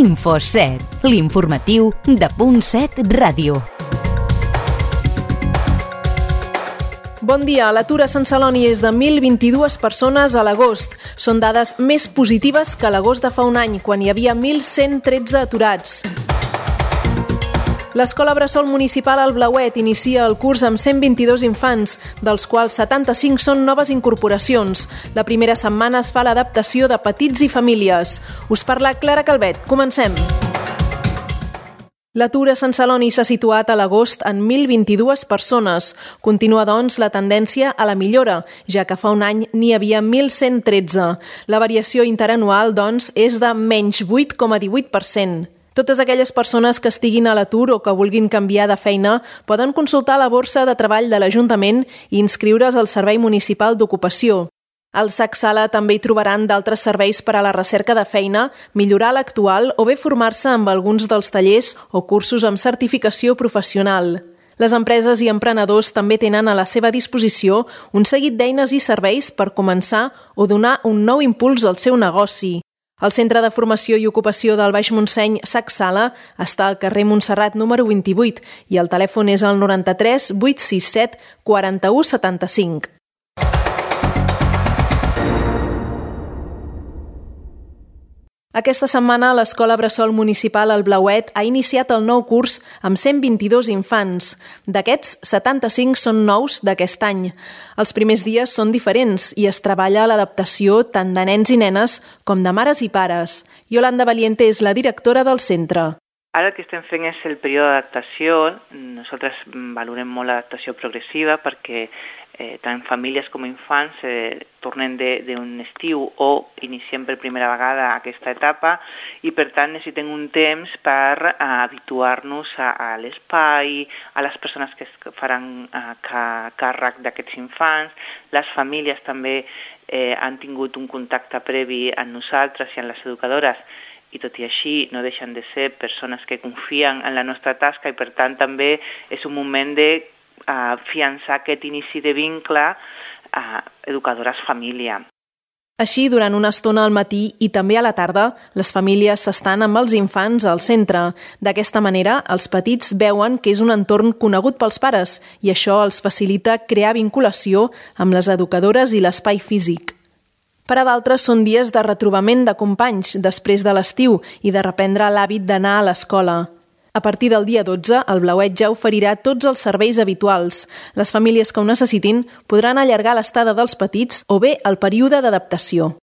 Info7, l'informatiu de .7 Ràdio. Bon dia. L'atur a Sant Celoni és de 1.022 persones a l'agost. Són dades més positives que l'agost de fa un any, quan hi havia 1.113 aturats. L'Escola Bressol Municipal al Blauet inicia el curs amb 122 infants, dels quals 75 són noves incorporacions. La primera setmana es fa l'adaptació de petits i famílies. Us parla Clara Calvet. Comencem. L'atur a Sant Celoni s'ha situat a l'agost en 1.022 persones. Continua, doncs, la tendència a la millora, ja que fa un any n'hi havia 1.113. La variació interanual, doncs, és de menys 8,18%. Totes aquelles persones que estiguin a l'atur o que vulguin canviar de feina poden consultar la borsa de treball de l'Ajuntament i inscriure's al Servei Municipal d'Ocupació. Al SAC Sala també hi trobaran d'altres serveis per a la recerca de feina, millorar l'actual o bé formar-se amb alguns dels tallers o cursos amb certificació professional. Les empreses i emprenedors també tenen a la seva disposició un seguit d'eines i serveis per començar o donar un nou impuls al seu negoci. El Centre de Formació i Ocupació del Baix Montseny, SAC Sala, està al carrer Montserrat número 28 i el telèfon és el 93 867 41 75. Aquesta setmana l'Escola Bressol Municipal al Blauet ha iniciat el nou curs amb 122 infants. D'aquests, 75 són nous d'aquest any. Els primers dies són diferents i es treballa l'adaptació tant de nens i nenes com de mares i pares. Yolanda Valiente és la directora del centre. Ara el que estem fent és el període d'adaptació. Nosaltres valorem molt l'adaptació progressiva perquè tant famílies com infants tornen d'un estiu o iniciem per primera vegada aquesta etapa i per tant necessitem un temps per habituar-nos a l'espai, a les persones que faran càrrec d'aquests infants. Les famílies també han tingut un contacte previ amb nosaltres i amb les educadores i tot i així no deixen de ser persones que confien en la nostra tasca i per tant també és un moment de fiançar aquest inici de vincle educadores-família. Així, durant una estona al matí i també a la tarda, les famílies s'estan amb els infants al centre. D'aquesta manera, els petits veuen que és un entorn conegut pels pares i això els facilita crear vinculació amb les educadores i l'espai físic. Per a d'altres són dies de retrobament de companys després de l'estiu i de reprendre l'hàbit d'anar a l'escola. A partir del dia 12, el Blauet ja oferirà tots els serveis habituals. Les famílies que ho necessitin podran allargar l'estada dels petits o bé el període d'adaptació.